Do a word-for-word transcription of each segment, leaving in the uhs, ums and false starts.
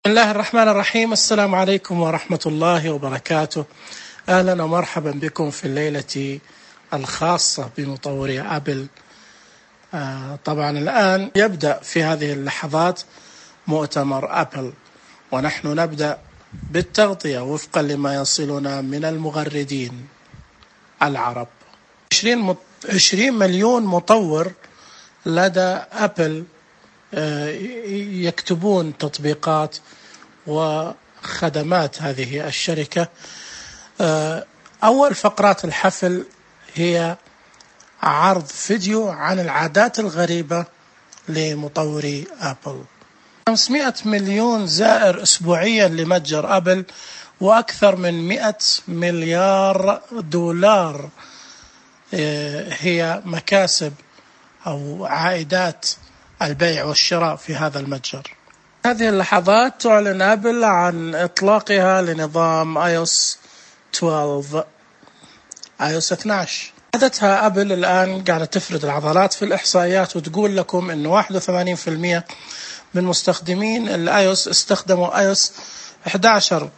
بسم الله الرحمن الرحيم. السلام عليكم ورحمة الله وبركاته. أهلا ومرحبا بكم في الليلة الخاصة بمطوري أبل. آه طبعا الآن يبدأ في هذه اللحظات مؤتمر أبل، ونحن نبدأ بالتغطية وفقا لما يصلنا من المغردين العرب. عشرين مليون مطور لدى أبل يكتبون تطبيقات وخدمات هذه الشركة. أول فقرات الحفل هي عرض فيديو عن العادات الغريبة لمطوري أبل. خمسمائة مليون زائر أسبوعيا لمتجر أبل، وأكثر من مئة مليار دولار هي مكاسب أو عائدات البيع والشراء في هذا المتجر. هذه اللحظات تعلن أبل عن إطلاقها لنظام آي أو إس اثناشر آي أو إس اثناشر. عادتها أبل الآن قاعدة تفرد العضلات في الإحصائيات وتقول لكم إنه واحد وثمانين بالمئة من مستخدمين الآي أو إس استخدموا آي أو إس إحدى عشر،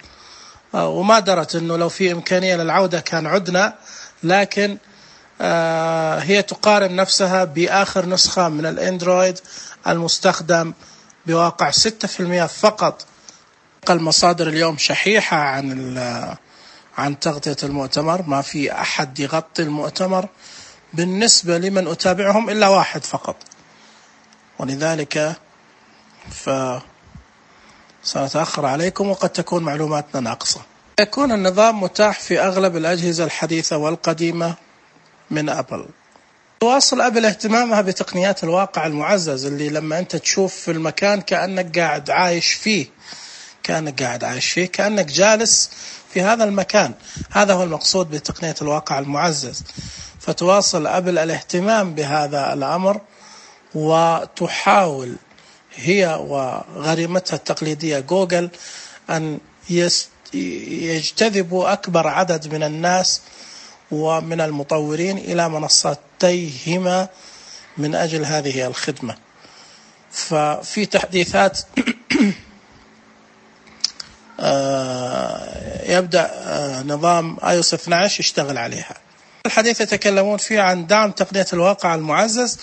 وما درت إنه لو في إمكانية للعودة كان عدنا، لكن آه هي تقارن نفسها بآخر نسخة من الأندرويد المستخدم بواقع ستة بالمئة فقط. المصادر اليوم شحيحة عن عن تغطية المؤتمر، ما في أحد يغطي المؤتمر بالنسبة لمن أتابعهم إلا واحد فقط، ولذلك فسنتأخر عليكم وقد تكون معلوماتنا ناقصة. يكون النظام متاح في أغلب الأجهزة الحديثة والقديمة من أبل. تواصل أبل اهتمامها بتقنيات الواقع المعزز، اللي لما أنت تشوف في المكان كأنك قاعد عايش فيه كأنك قاعد عايش فيه كأنك جالس في هذا المكان. هذا هو المقصود بتقنية الواقع المعزز. فتواصل أبل الاهتمام بهذا الأمر، وتحاول هي وغريمتها التقليدية جوجل أن يجتذبوا أكبر عدد من الناس ومن المطورين إلى منصتيهما من أجل هذه الخدمة. ففي تحديثات يبدأ نظام آي أو إس اثني عشر يشتغل عليها. الحديث يتكلمون فيه عن دعم تقنية الواقع المعزز،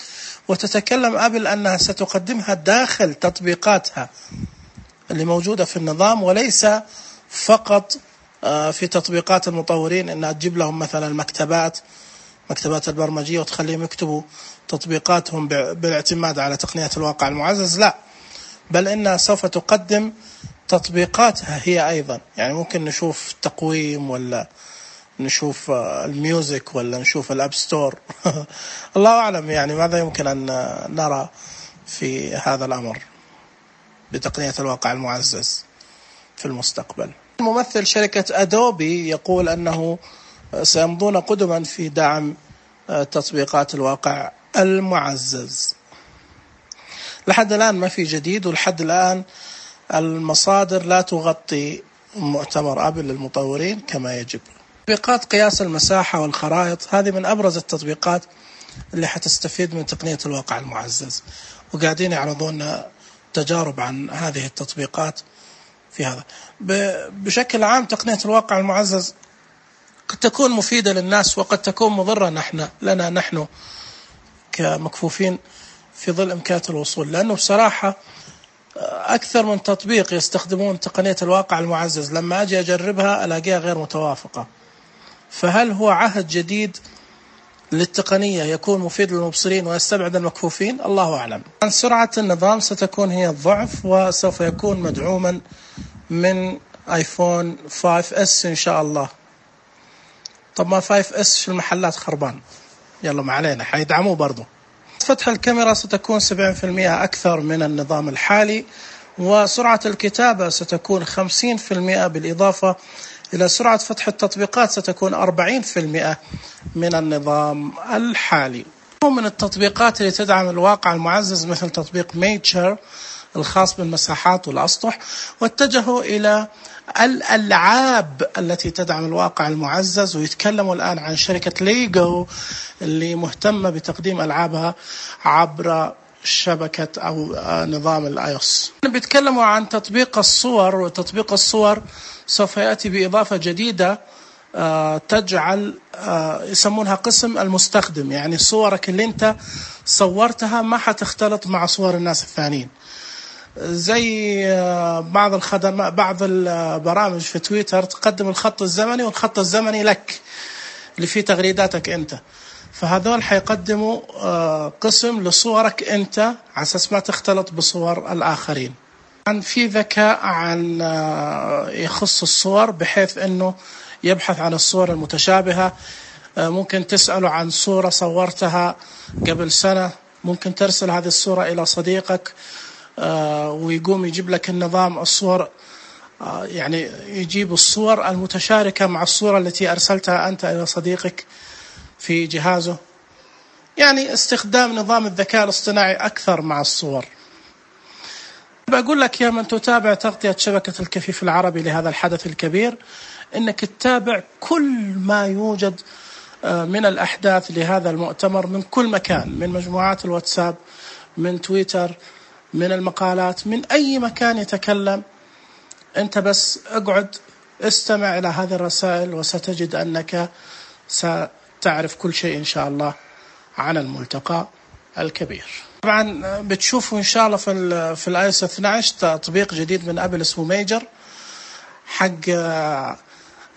وتتكلم أبل أنها ستقدمها داخل تطبيقاتها اللي موجودة في النظام، وليس فقط في تطبيقات المطورين أنها تجيب لهم مثلا مكتبات مكتبات البرمجية وتخليهم يكتبوا تطبيقاتهم بالاعتماد على تقنية الواقع المعزز، لا، بل إنها سوف تقدم تطبيقاتها هي أيضا. يعني ممكن نشوف تقويم، ولا نشوف الميوزك، ولا نشوف الأب ستور الله أعلم يعني ماذا يمكن أن نرى في هذا الأمر بتقنية الواقع المعزز في المستقبل. ممثل شركة أدوبي يقول أنه سيمضون قدما في دعم تطبيقات الواقع المعزز. لحد الآن ما في جديد، ولحد الآن المصادر لا تغطي مؤتمر أبل للمطورين كما يجب. تطبيقات قياس المساحة والخرائط هذه من أبرز التطبيقات اللي حتستفيد من تقنية الواقع المعزز، وقاعدين يعرضون تجارب عن هذه التطبيقات في هذا. بشكل عام تقنية الواقع المعزز قد تكون مفيدة للناس وقد تكون مضرة نحن لنا نحن كمكفوفين في ظل إمكانية الوصول، لأنه بصراحة أكثر من تطبيق يستخدمون تقنية الواقع المعزز لما أجي أجربها ألاقيها غير متوافقة. فهل هو عهد جديد للتقنية يكون مفيد للمبصرين ويستبعد المكفوفين؟ الله أعلم. عن سرعة النظام ستكون هي الضعف، وسوف يكون مدعوما من آيفون خمسة إس إن شاء الله. طب ما خمسة إس في المحلات خربان، يلا ما علينا، حيدعموه برضو. فتح الكاميرا ستكون سبعين بالمئة أكثر من النظام الحالي، وسرعة الكتابة ستكون خمسين بالمئة، بالإضافة إلى سرعة فتح التطبيقات ستكون أربعين بالمئة من النظام الحالي. من التطبيقات اللي تدعم الواقع المعزز مثل تطبيق ميتشر الخاص بالمساحات والأسطح، واتجهوا إلى الألعاب التي تدعم الواقع المعزز. ويتكلموا الآن عن شركة ليجو اللي مهتمة بتقديم ألعابها عبر شبكة أو نظام الآيوس. بيتكلموا عن تطبيق الصور، وتطبيق الصور سوف يأتي بإضافة جديدة تجعل يسمونها قسم المستخدم، يعني صورك اللي انت صورتها ما حتختلط مع صور الناس الثانيين. زي بعض الخدمات، بعض البرامج في تويتر تقدم الخط الزمني، والخط الزمني لك اللي فيه تغريداتك انت، فهذول حيقدموا قسم لصورك انت على اساس ما تختلط بصور الآخرين. عن في ذكاء عن يخص الصور، بحيث انه يبحث عن الصور المتشابهة. ممكن تسأله عن صورة صورتها قبل سنة، ممكن ترسل هذه الصورة إلى صديقك ويقوم يجيب لك النظام الصور، يعني يجيب الصور المتشاركة مع الصورة التي أرسلتها أنت إلى صديقك في جهازه. يعني استخدام نظام الذكاء الاصطناعي أكثر مع الصور. بقول لك يا من تتابع تغطية شبكة الكفيف العربي لهذا الحدث الكبير، إنك تتابع كل ما يوجد من الأحداث لهذا المؤتمر من كل مكان، من مجموعات الواتساب، من تويتر، من المقالات، من أي مكان يتكلم. أنت بس اقعد استمع إلى هذه الرسائل وستجد أنك ستعرف كل شيء إن شاء الله عن الملتقى الكبير. طبعا بتشوفوا إن شاء الله في في الاي او اس اثني عشر تطبيق جديد من أبل اسمه ميجر، حق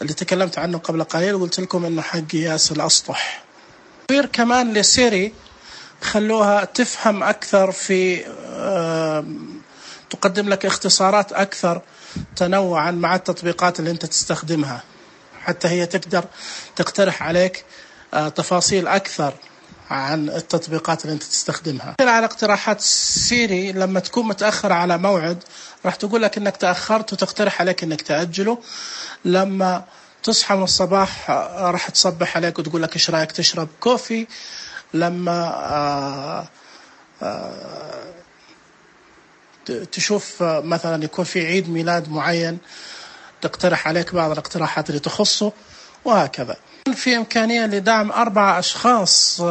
اللي تكلمت عنه قبل قليل وقلت لكم إنه حق قياس الأسطح. غير كمان لسيري خلوها تفهم أكثر، في تقدم لك اختصارات أكثر تنوعا مع التطبيقات اللي أنت تستخدمها، حتى هي تقدر تقترح عليك تفاصيل أكثر عن التطبيقات اللي أنت تستخدمها. على اقتراحات سيري لما تكون متأخر على موعد راح تقول لك إنك تأخرت وتقترح عليك إنك تأجله. لما تصحى من الصباح راح تصبح عليك وتقول لك إيش رأيك تشرب كوفي. لما آآ آآ تشوف مثلا يكون في عيد ميلاد معين تقترح عليك بعض الاقتراحات اللي تخصه، وهكذا. في إمكانية لدعم أربعة أشخاص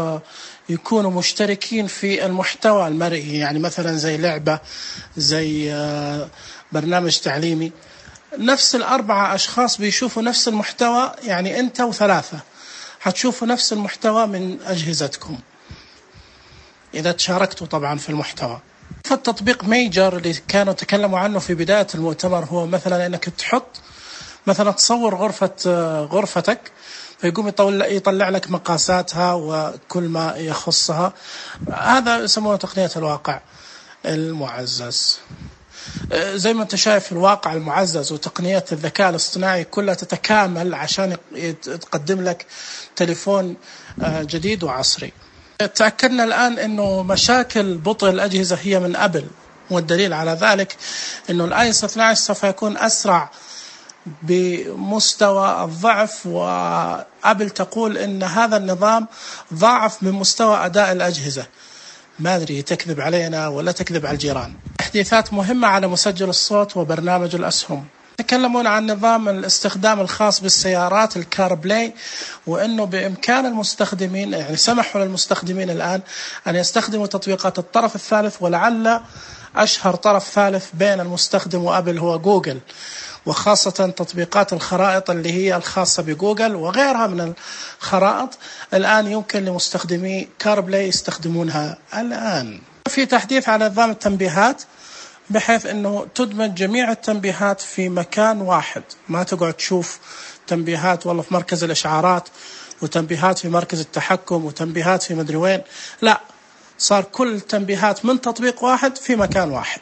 يكونوا مشتركين في المحتوى المرئي، يعني مثلا زي لعبة، زي برنامج تعليمي. نفس الأربعة أشخاص بيشوفوا نفس المحتوى، يعني أنت وثلاثة هتشوفوا نفس المحتوى من أجهزتكم إذا تشاركتوا طبعا في المحتوى. فالتطبيق ميجر اللي كانوا تكلموا عنه في بداية المؤتمر هو مثلا أنك تحط مثلا تصور غرفة غرفتك، فيقوم يطلع لك مقاساتها وكل ما يخصها. هذا يسمونه تقنية الواقع المعزز. زي ما انت شايف الواقع المعزز وتقنيات الذكاء الاصطناعي كلها تتكامل عشان تقدم لك تليفون جديد وعصري. تأكدنا الآن أنه مشاكل بطء الأجهزة هي من أبل، والدليل على ذلك أنه الاي او اس اثني عشر سوف يكون أسرع بمستوى الضعف، وأبل تقول أن هذا النظام ضعف من مستوى أداء الأجهزة. ما أدري تكذب علينا ولا تكذب على الجيران. تحديثات مهمة على مسجل الصوت وبرنامج الأسهم. يتكلمون عن نظام الاستخدام الخاص بالسيارات الكار بلاي، وأنه بإمكان المستخدمين، يعني سمحوا للمستخدمين الآن أن يستخدموا تطبيقات الطرف الثالث، ولعل أشهر طرف ثالث بين المستخدم وأبل هو جوجل، وخاصة تطبيقات الخرائط اللي هي الخاصة بجوجل وغيرها من الخرائط. الآن يمكن لمستخدمي كار بلاي يستخدمونها الآن. في تحديث على نظام التنبيهات، بحيث أنه تدمج جميع التنبيهات في مكان واحد، ما تقعد تشوف تنبيهات والله في مركز الإشعارات وتنبيهات في مركز التحكم وتنبيهات في مدري وين. لا، صار كل تنبيهات من تطبيق واحد في مكان واحد.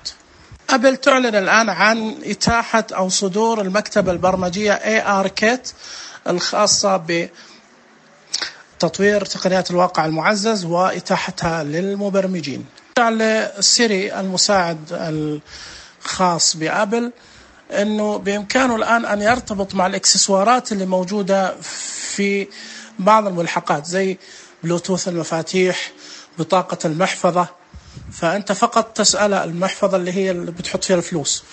أبل تعلن الآن عن إتاحة أو صدور المكتبة البرمجية إيه آر Kit الخاصة بتطوير تقنيات الواقع المعزز وإتاحتها للمبرمجين. على سيري المساعد الخاص بأبل أنه بإمكانه الآن أن يرتبط مع الإكسسوارات اللي موجودة في بعض الملحقات زي بلوتوث المفاتيح، بطاقة المحفظة. فأنت فقط تسأل المحفظة اللي هي اللي بتحط فيها الفلوس،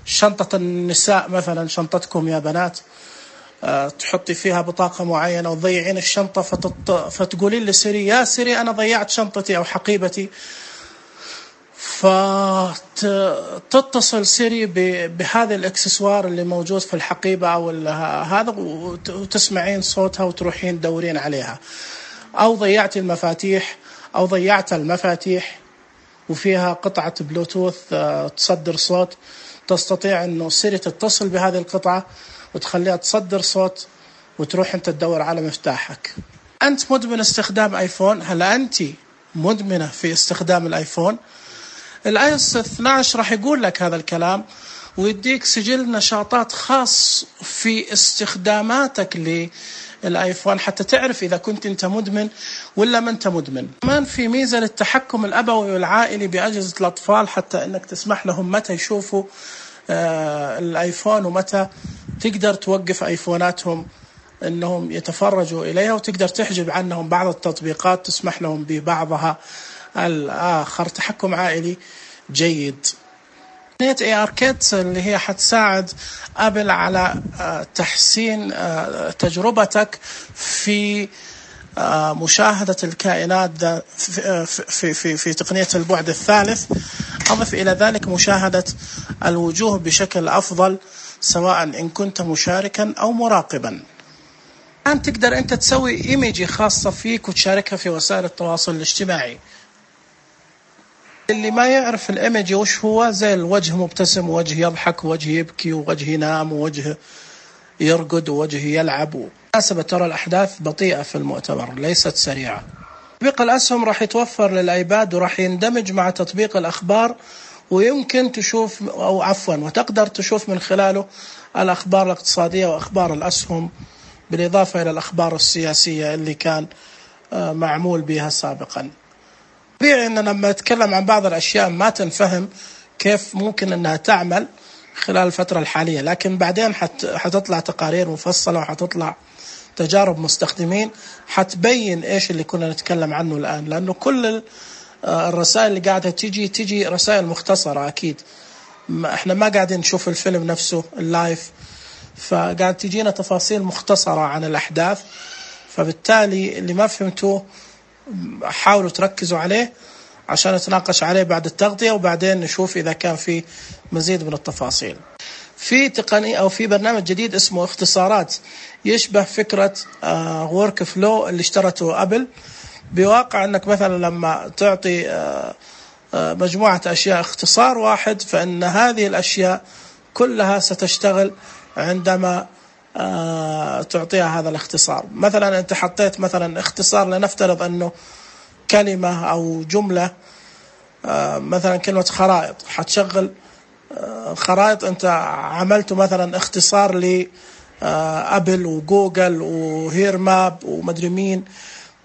شنطة النساء مثلا، شنطتكم يا بنات، أه تحطي فيها بطاقة معينة وتضيعين الشنطة، فتط... فتقولين لسيري يا سيري أنا ضيعت شنطتي أو حقيبتي، فتتصل سيري بهذا الاكسسوار اللي موجود في الحقيبة أو هذا، وتسمعين صوتها وتروحين تدورين عليها. أو ضيعت المفاتيح أو ضيعت المفاتيح وفيها قطعة بلوتوث تصدر صوت، تستطيع أنه سيري تتصل بهذه القطعة وتخليها تصدر صوت وتروح أنت تدور على مفتاحك. أنت مدمن استخدام آيفون؟ هل أنت مدمنة في استخدام الآيفون؟ الاي او اس اثني عشر راح يقول لك هذا الكلام ويديك سجل نشاطات خاص في استخداماتك للايفون حتى تعرف اذا كنت انت مدمن ولا ما انت مدمن. كمان في ميزه للتحكم الابوي والعائلي باجهزه الاطفال، حتى انك تسمح لهم متى يشوفوا آه الايفون ومتى تقدر توقف ايفوناتهم انهم يتفرجوا اليها، وتقدر تحجب عنهم بعض التطبيقات تسمح لهم ببعضها الآخر. تحكم عائلي جيد. تقنية اي ار كيت اللي هي حتساعد ابل على تحسين تجربتك في مشاهدة الكائنات في في في في تقنية البعد الثالث. أضف إلى ذلك مشاهدة الوجوه بشكل أفضل سواء إن كنت مشاركا أو مراقبا. الآن تقدر أنت تسوي إيميجي خاصة فيك وتشاركها في وسائل التواصل الاجتماعي. اللي ما يعرف الإيميجي وش هو، زي الوجه مبتسم ووجه يضحك ووجه يبكي ووجه ينام ووجه يرقد ووجه يلعب. بالمناسبة ترى الأحداث بطيئة في المؤتمر ليست سريعة. تطبيق الأسهم راح يتوفر للآيباد وراح يندمج مع تطبيق الأخبار، ويمكن تشوف أو عفوا وتقدر تشوف من خلاله الأخبار الاقتصادية وأخبار الأسهم، بالإضافة إلى الأخبار السياسية اللي كان معمول بها سابقا. طبيعي أن لما نتكلم عن بعض الأشياء ما تنفهم كيف ممكن أنها تعمل خلال الفترة الحالية، لكن بعدين حت حتطلع تقارير مفصلة وحتطلع تجارب مستخدمين حتبين إيش اللي كنا نتكلم عنه الآن. لأنه كل الرسائل اللي قاعدة تيجي تيجي رسائل مختصرة، أكيد إحنا ما قاعدين نشوف الفيلم نفسه اللايف، فقاعد تجينا تفاصيل مختصرة عن الأحداث. فبالتالي اللي ما فهمتوه حاولوا تركزوا عليه عشان نتناقش عليه بعد التغطية، وبعدين نشوف إذا كان في مزيد من التفاصيل. في تقنية أو في برنامج جديد اسمه اختصارات، يشبه فكرة ورك فلو اللي اشترته أبل، بواقع أنك مثلا لما تعطي مجموعة أشياء اختصار واحد، فإن هذه الأشياء كلها ستشتغل عندما تعطيها هذا الاختصار. مثلا أنت حطيت مثلا اختصار، لنفترض أنه كلمة أو جملة، مثلا كلمة خرائط، حتشغل خرائط. أنت عملته مثلا اختصار لأبل وجوجل وهير ماب ومدري مين،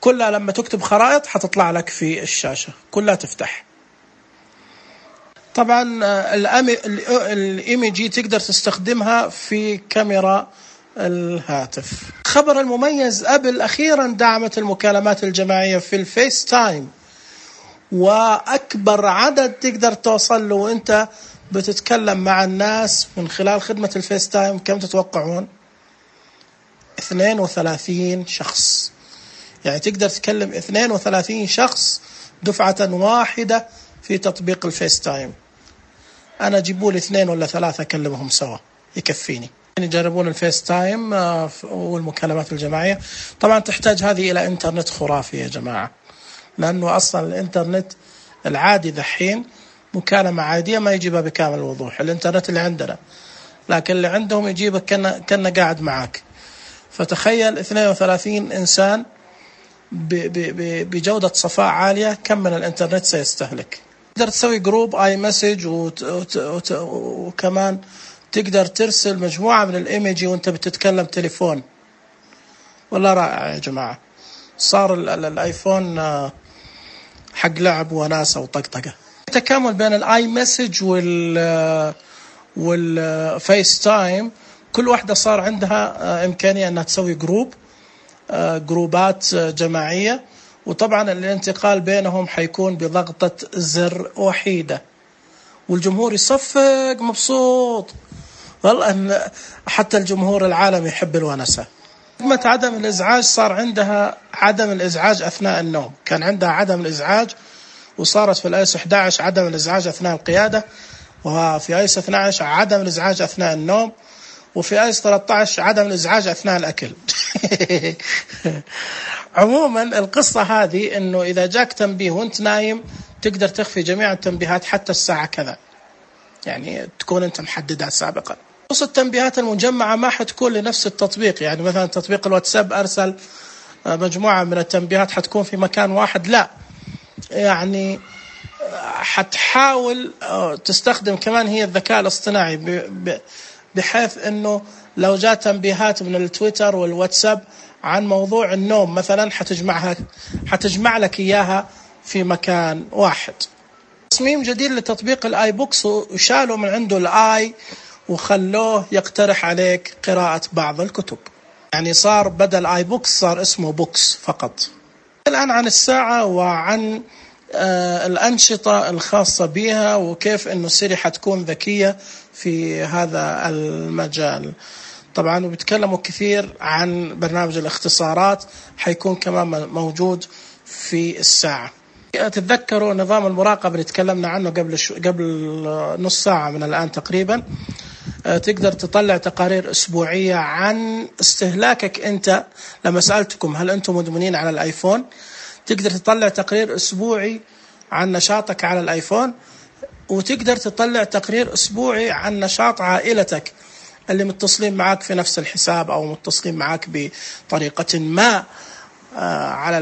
كلها لما تكتب خرائط حتطلع لك في الشاشة كلها تفتح. طبعا الإيميجي تقدر تستخدمها في كاميرا الهاتف. خبر المميز، أبل أخيرا دعمت المكالمات الجماعية في الفيس تايم، وأكبر عدد تقدر توصل له وأنت بتتكلم مع الناس من خلال خدمة الفيس تايم كم تتوقعون؟ اثنين وثلاثين شخص. يعني تقدر تكلم اثنين وثلاثين شخص دفعة واحدة في تطبيق الفيس تايم. أنا جيبوا لي اثنين ولا ثلاثة أكلمهم سوا يكفيني. يجربون الفيس تايم والمكالمات الجماعية. طبعا تحتاج هذه إلى إنترنت خرافي يا جماعة، لأنه أصلا الإنترنت العادي ذحين مكالمة عادية ما يجيبها بكامل الوضوح، الإنترنت اللي عندنا، لكن اللي عندهم يجيبك كأنه كأنه قاعد معك. فتخيل اثنين وثلاثين إنسان بجودة صفاء عالية، كم من الإنترنت سيستهلك. تقدر تسوي جروب آي مسج، وكمان تقدر ترسل مجموعة من الإيميجي وانت بتتكلم تليفون. والله رائع يا جماعة، صار الآيفون حق لعب وناسة وطقطقة. التكامل بين الآي مسج وال والفيس تايم، كل واحدة صار عندها إمكانية أنها تسوي جروب جروبات جماعية، وطبعا الانتقال بينهم حيكون بضغطة زر وحيدة، والجمهور يصفق مبسوط. والله أن حتى الجمهور العالمي يحب الونسة. خدمة عدم الإزعاج صار عندها عدم الإزعاج أثناء النوم، كان عندها عدم الإزعاج وصارت في الايس إحدى عشر عدم الازعاج اثناء القيادة، وفي ايس اثني عشر عدم الازعاج اثناء النوم، وفي ايس ثلاثة عشر عدم الازعاج اثناء الاكل. عموما القصة هذه انه اذا جاك تنبيه وانت نايم تقدر تخفي جميع التنبيهات حتى الساعة كذا، يعني تكون انت محددها سابقا. خصوص التنبيهات المجمعة ما حتكون لنفس التطبيق، يعني مثلا تطبيق الواتساب ارسل مجموعة من التنبيهات حتكون في مكان واحد، لا يعني حتحاول تستخدم كمان هي الذكاء الاصطناعي بحيث انه لو جاء تنبيهات من التويتر والواتساب عن موضوع النوم مثلا حتجمعها حتجمع لك اياها في مكان واحد. تصميم جديد لتطبيق الاي بوكس، وشالوا من عنده الاي وخلوه يقترح عليك قراءة بعض الكتب، يعني صار بدل اي بوكس صار اسمه بوكس فقط. الآن عن الساعة وعن آه الأنشطة الخاصة بها، وكيف إنه سيري حتكون ذكية في هذا المجال. طبعا وبيتكلموا كثير عن برنامج الاختصارات، حيكون كمان موجود في الساعة. تتذكروا نظام المراقبة اللي تكلمنا عنه قبل شو قبل نص ساعة من الآن تقريبا، تقدر تطلع تقارير أسبوعية عن استهلاكك أنت. لما سألتكم هل أنتم مدمنين على الآيفون، تقدر تطلع تقرير أسبوعي عن نشاطك على الآيفون، وتقدر تطلع تقرير أسبوعي عن نشاط عائلتك اللي متصلين معك في نفس الحساب أو متصلين معك بطريقة ما على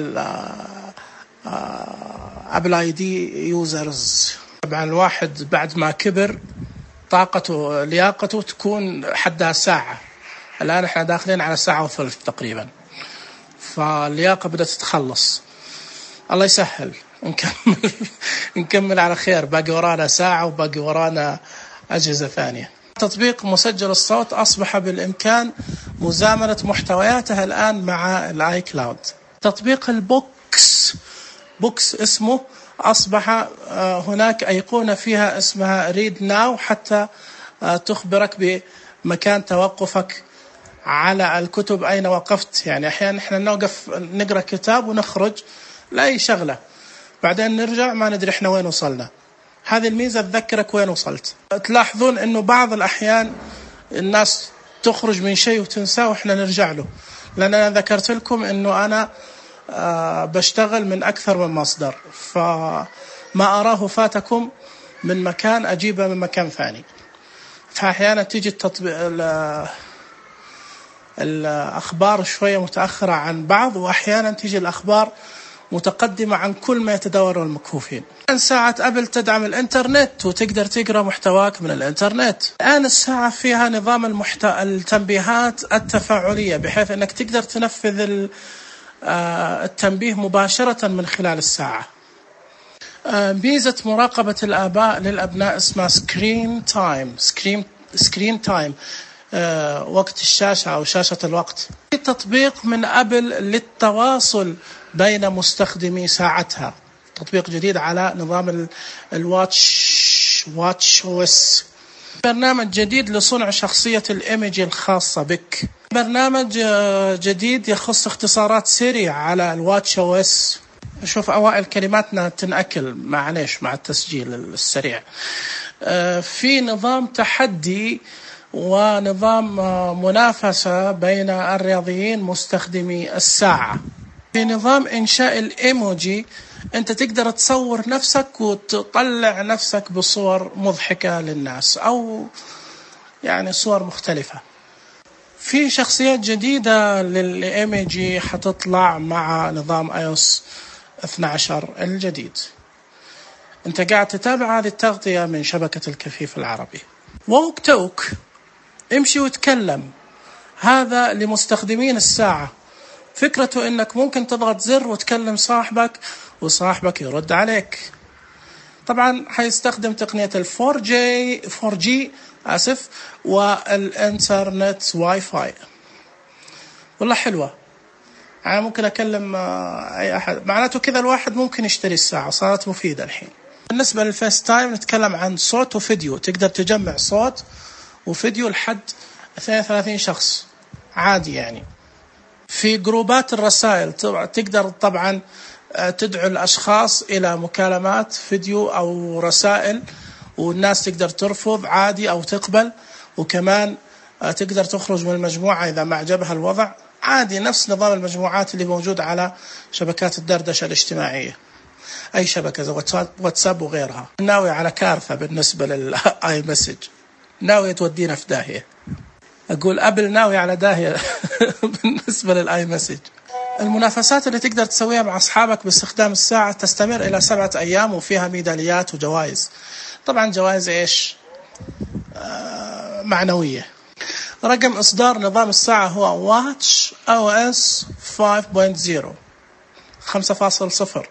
أبل آي دي يوزرز. طبعا الواحد بعد ما كبر طاقته لياقته تكون حدها ساعة، الآن احنا داخلين على ساعة وثلث تقريبا، فاللياقة بدأت تتخلص. الله يسهل، نكمل نكمل على خير، باقي ورانا ساعة وباقي ورانا أجهزة ثانية. تطبيق مسجل الصوت أصبح بالإمكان مزامنة محتوياته الآن مع الآي كلاود. تطبيق البوكس بوكس اسمه أصبح هناك أيقونة فيها اسمها ريد ناو، حتى تخبرك بمكان توقفك على الكتب أين وقفت. يعني أحيانا إحنا نوقف نقرأ كتاب ونخرج لأي شغلة، بعدين نرجع ما ندري إحنا وين وصلنا. هذه الميزة تذكرك وين وصلت. تلاحظون إنه بعض الأحيان الناس تخرج من شيء وتنساه وإحنا نرجع له، لأن أنا ذكرت لكم إنه أنا أه بشتغل من أكثر من مصدر، فما أراه فاتكم من مكان أجيبه من مكان ثاني. فأحيانا تيجي التطبيق الأخبار شوية متأخرة عن بعض، وأحيانا تيجي الأخبار متقدمة عن كل ما يتداول المكفوفين. الآن ساعة أبل تدعم الإنترنت وتقدر تقرأ محتواك من الإنترنت. الآن الساعة فيها نظام المحت... التنبيهات التفاعلية، بحيث أنك تقدر تنفذ التنبيه مباشرة من خلال الساعة. ميزة مراقبة الآباء للأبناء اسمها سكرين تايم سكرين سكرين تايم وقت الشاشة أو شاشة الوقت. في تطبيق من أبل للتواصل بين مستخدمي ساعتها، تطبيق جديد على نظام الواتش واتش اوس. برنامج جديد لصنع شخصية الإيميج الخاصة بك. برنامج جديد يخص اختصارات سيري على الواتش اوس. شوف أوائل كلماتنا تنأكل معليش مع التسجيل السريع. في نظام تحدي ونظام منافسة بين الرياضيين مستخدمي الساعة. في نظام إنشاء الإيموجي، أنت تقدر تصور نفسك وتطلع نفسك بصور مضحكة للناس أو يعني صور مختلفة. في شخصيات جديدة للإيموجي حتطلع مع نظام آي أو إس اثني عشر الجديد. أنت قاعد تتابع هذه التغطية من شبكة الكفيف العربي. ووك توك، امشي وتكلم، هذا لمستخدمين الساعة. فكرته انك ممكن تضغط زر وتكلم صاحبك وصاحبك يرد عليك. طبعا حيستخدم تقنية الفور جي فور جي اسف والانترنت واي فاي. والله حلوة، يعني ممكن اكلم اي احد، معناته كذا الواحد ممكن يشتري الساعة، صارت مفيدة الحين. بالنسبة للفيس تايم نتكلم عن صوت وفيديو، تقدر تجمع صوت وفيديو لحد اثنين وثلاثين شخص عادي. يعني في جروبات الرسائل تقدر طبعا تدعو الأشخاص إلى مكالمات فيديو أو رسائل، والناس تقدر ترفض عادي أو تقبل، وكمان تقدر تخرج من المجموعة إذا ما عجبها الوضع عادي، نفس نظام المجموعات اللي موجود على شبكات الدردشة الاجتماعية، أي شبكة زي واتساب وغيرها. ناوي على كارثة بالنسبة للآي مسج، ناوي تودينا في داهية. أقول أبل ناوي على داهية بالنسبة للآي مسج. المنافسات اللي تقدر تسويها مع أصحابك باستخدام الساعة تستمر إلى سبعة أيام وفيها ميداليات وجوائز. طبعا جوائز إيش؟ آه معنوية. رقم إصدار نظام الساعة هو واتش أو إس خمسة فاصلة صفر.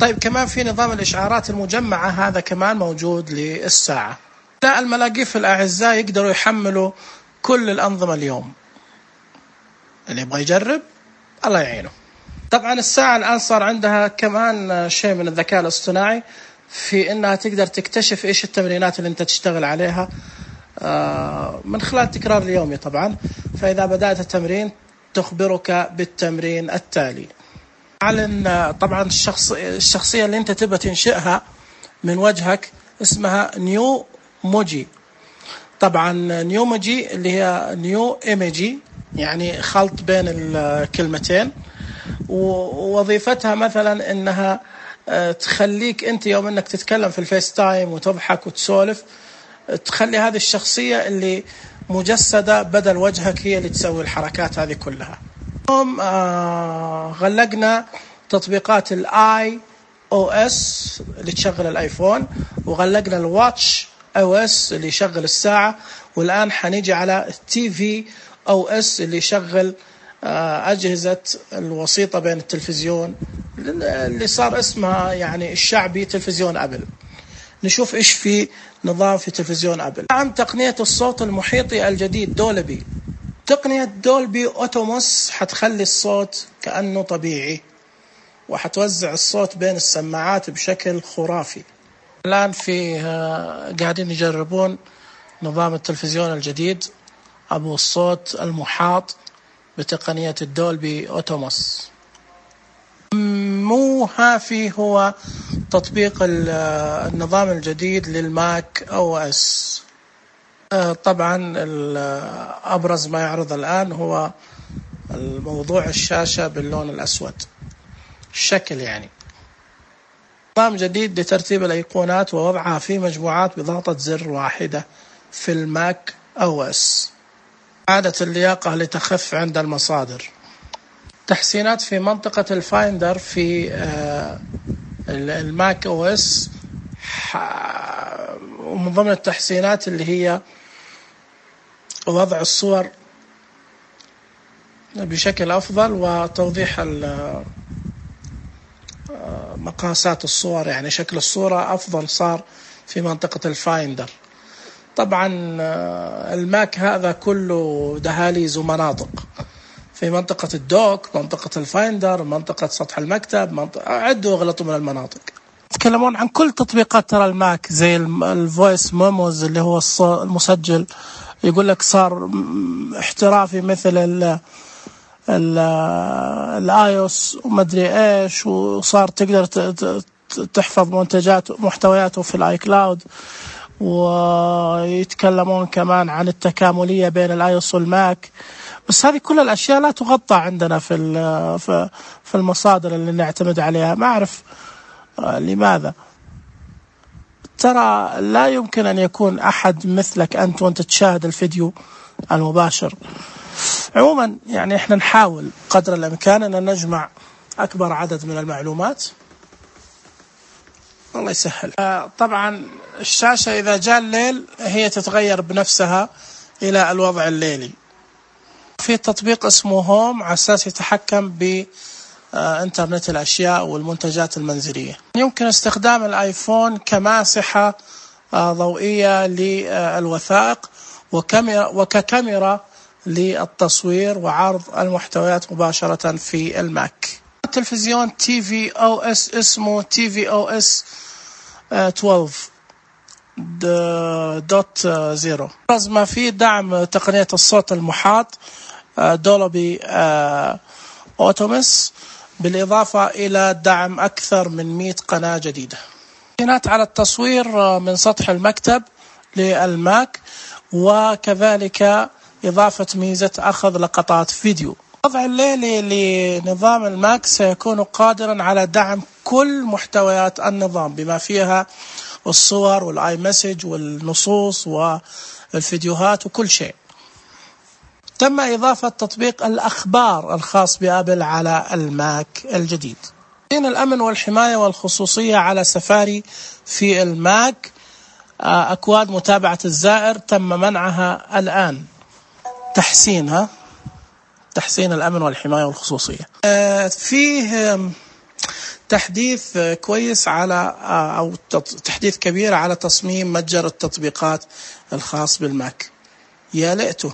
طيب كمان في نظام الإشعارات المجمعة، هذا كمان موجود للساعة. لا الملاقيف الأعزاء يقدروا يحملوا كل الأنظمة اليوم، اللي يبغى يجرب الله يعينه. طبعا الساعة الآن صار عندها كمان شيء من الذكاء الاصطناعي في إنها تقدر تكتشف إيش التمرينات اللي أنت تشتغل عليها من خلال التكرار اليومي طبعا. فإذا بدأت التمرين تخبرك بالتمرين التالي. أعلن طبعا الشخص الشخصية اللي أنت تبغى تنشئها من وجهك اسمها نيو موجي. طبعا نيو موجي اللي هي نيو ايميجي، يعني خلط بين الكلمتين، ووظيفتها مثلا انها تخليك انت يوم انك تتكلم في الفيس تايم وتضحك وتسولف، تخلي هذه الشخصية اللي مجسدة بدل وجهك هي اللي تسوي الحركات هذه كلها. اليوم آه غلقنا تطبيقات الاي او اس اللي تشغل الايفون، وغلقنا الواتش او اس اللي يشغل الساعة، والآن حنيجي على التي في او اس اللي يشغل أجهزة الوسيطة بين التلفزيون اللي صار اسمها يعني الشعبي تلفزيون أبل. نشوف إيش في نظام في تلفزيون أبل. عن تقنية الصوت المحيطي الجديد دولبي. تقنية دولبي أوتوموس حتخلي الصوت كأنه طبيعي، وحتوزع الصوت بين السماعات بشكل خرافي. الآن في قاعدين يجربون نظام التلفزيون الجديد أبو الصوت المحاط بتقنية الدولبي أوتوموس. مو هافي هو تطبيق النظام الجديد للماك أو إس. طبعا أبرز ما يعرض الآن هو الموضوع الشاشة باللون الأسود، الشكل يعني. نظام جديد لترتيب الأيقونات ووضعها في مجموعات بضغطة زر واحدة في الماك أو إس. عادة اللياقة لتخف عند المصادر. تحسينات في منطقة الفايندر في الماك او اس، ومن ضمن التحسينات اللي هي وضع الصور بشكل أفضل وتوضيح مقاسات الصور، يعني شكل الصورة أفضل صار في منطقة الفايندر. طبعا الماك هذا كله دهاليز ومناطق، في منطقة الدوك، منطقة الفايندر، منطقة سطح المكتب، منطقة عدوا وغلطوا من المناطق. يتكلمون عن كل تطبيقات ترى الماك زي الفويس ميموز اللي هو المسجل، يقول لك صار احترافي مثل ال الايوس ومدري ايش، وصار تقدر تحفظ منتجات محتوياته في الاي كلاود. ويتكلمون كمان عن التكاملية بين الايوس والماك، بس هذه كل الاشياء لا تغطى عندنا في في المصادر اللي نعتمد عليها. ما اعرف لماذا. ترى لا يمكن ان يكون احد مثلك انت وانت تشاهد الفيديو المباشر. عموما يعني احنا نحاول قدر الامكان ان نجمع اكبر عدد من المعلومات. الله يسهل. طبعا الشاشة اذا جاء الليل هي تتغير بنفسها الى الوضع الليلي. في تطبيق اسمه هوم على اساس يتحكم بإنترنت الاشياء والمنتجات المنزلية. يمكن استخدام الايفون كماسحة ضوئية للوثائق وكاميرا وككاميرا للتصوير وعرض المحتويات مباشرة في الماك. التلفزيون تي في او اس اسمه تي في او اس اثنا عشر دوت زيرو. ما في دعم تقنية الصوت المحاط دولبي اوتوموس بالإضافة إلى دعم أكثر من مئة قناة جديدة. إمكانات على التصوير من سطح المكتب للماك، وكذلك إضافة ميزة أخذ لقطات فيديو. الوضع الليلي لنظام الماك سيكون قادرا على دعم كل محتويات النظام بما فيها الصور والآي مسج والنصوص والفيديوهات وكل شيء. تم إضافة تطبيق الأخبار الخاص بآبل على الماك الجديد. الأمن والحماية والخصوصية على سفاري في الماك، أكواد متابعة الزائر تم منعها الآن. تحسينها تحسين الأمن والحماية والخصوصية. فيه تحديث كويس على أو تحديث كبير على تصميم متجر التطبيقات الخاص بالماك. يا ليته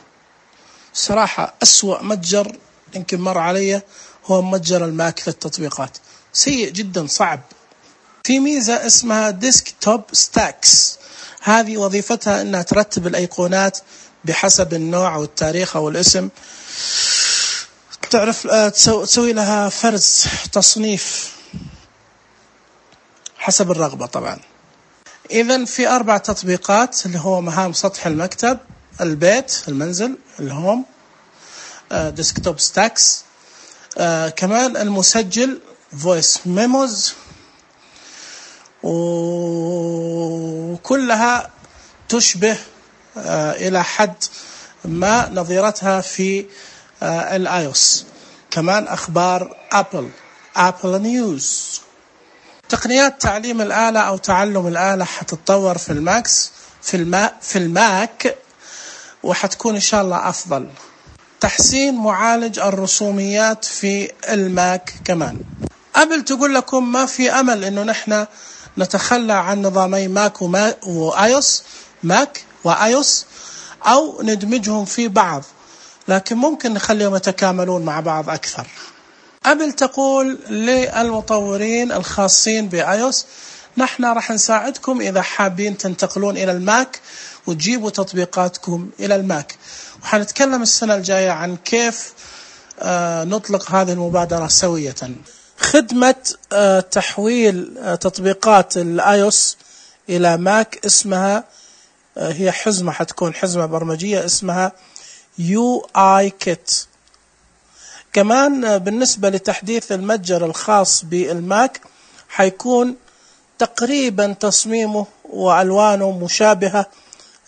صراحة أسوأ متجر يمكن مر علي هو متجر الماك للتطبيقات، سيء جدا صعب. في ميزة اسمها ديسكتوب ستاكس، هذه وظيفتها أنها ترتب الأيقونات بحسب النوع أو التاريخ أو الاسم، تعرف تسوي لها فرز تصنيف حسب الرغبة طبعا. إذن في أربع تطبيقات اللي هو مهام سطح المكتب، البيت، المنزل، الهوم، ديسكتوب ستاكس، آه كمان المسجل فويس ميموز، وكلها تشبه آه إلى حد ما نظيرتها في آه الايوس. كمان أخبار أبل، أبل نيوز. تقنيات تعليم الآلة أو تعلم الآلة حتتطور في الماكس في الماء في الماك وحتكون إن شاء الله أفضل. تحسين معالج الرسوميات في الماك كمان. أبل تقول لكم ما في أمل إنه نحن نتخلى عن نظامي ماك وما وآيوس، ماك وآيوس، أو ندمجهم في بعض، لكن ممكن نخليهم يتكاملون مع بعض أكثر. أبل تقول للمطورين الخاصين بآيوس نحن راح نساعدكم إذا حابين تنتقلون إلى الماك وتجيبوا تطبيقاتكم إلى الماك. وحنتكلم السنة الجاية عن كيف آه نطلق هذه المبادرة سوية. خدمة آه تحويل آه تطبيقات الآيوس إلى ماك اسمها آه هي حزمة، حتكون حزمة برمجية اسمها يو آي كيت. كمان آه بالنسبة لتحديث المتجر الخاص بالماك حيكون تقريبا تصميمه وألوانه مشابهة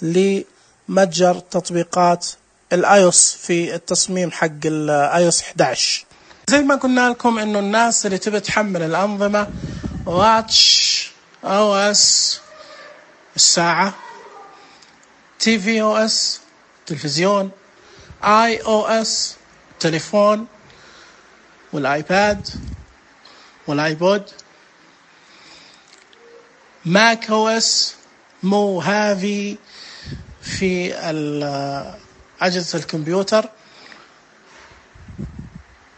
لمتجر تطبيقات الايوس في التصميم حق الايوس إحدى عشر. زي ما قلنا لكم انه الناس اللي تبي تحمل الانظمه واتش او اس الساعه، تي في او اس تلفزيون، اي او اس تليفون، والايباد والايبود، ماك او اس، مو هافي في أجهزة الكمبيوتر.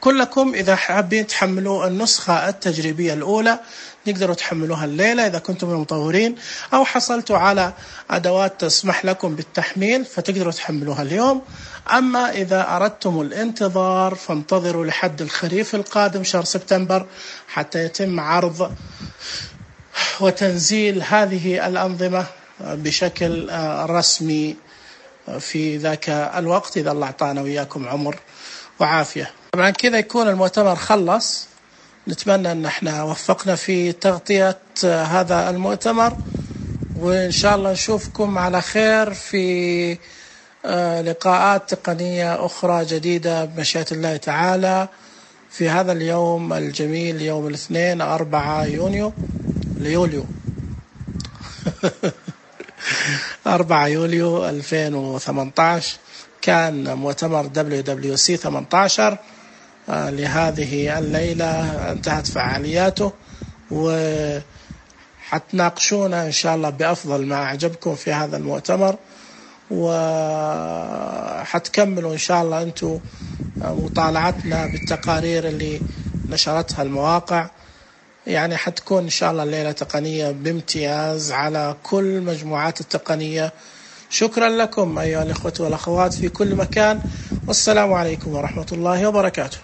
كلكم إذا حابين تحملوا النسخة التجريبية الأولى تقدروا تحملوها الليلة إذا كنتم المطورين، أو حصلتوا على أدوات تسمح لكم بالتحميل فتقدروا تحملوها اليوم. أما إذا أردتم الانتظار فانتظروا لحد الخريف القادم شهر سبتمبر حتى يتم عرض وتنزيل هذه الأنظمة بشكل رسمي في ذاك الوقت إذا الله أعطانا وإياكم عمر وعافية. طبعا كذا يكون المؤتمر خلص. نتمنى أن احنا وفقنا في تغطية هذا المؤتمر، وإن شاء الله نشوفكم على خير في لقاءات تقنية أخرى جديدة بمشيئة الله تعالى في هذا اليوم الجميل، يوم الاثنين أربعة يونيو ليوليو أربعة يوليو ألفين وثمانية عشر. كان مؤتمر دبليو دبليو سي ثمانية عشر لهذه الليلة انتهت فعالياته، وحتناقشونا إن شاء الله بأفضل ما أعجبكم في هذا المؤتمر، وحتكملوا إن شاء الله أنتم مطالعتنا بالتقارير اللي نشرتها المواقع. يعني حتكون إن شاء الله الليلة تقنية بامتياز على كل مجموعات التقنية. شكرا لكم أيها الأخوة والأخوات في كل مكان، والسلام عليكم ورحمة الله وبركاته.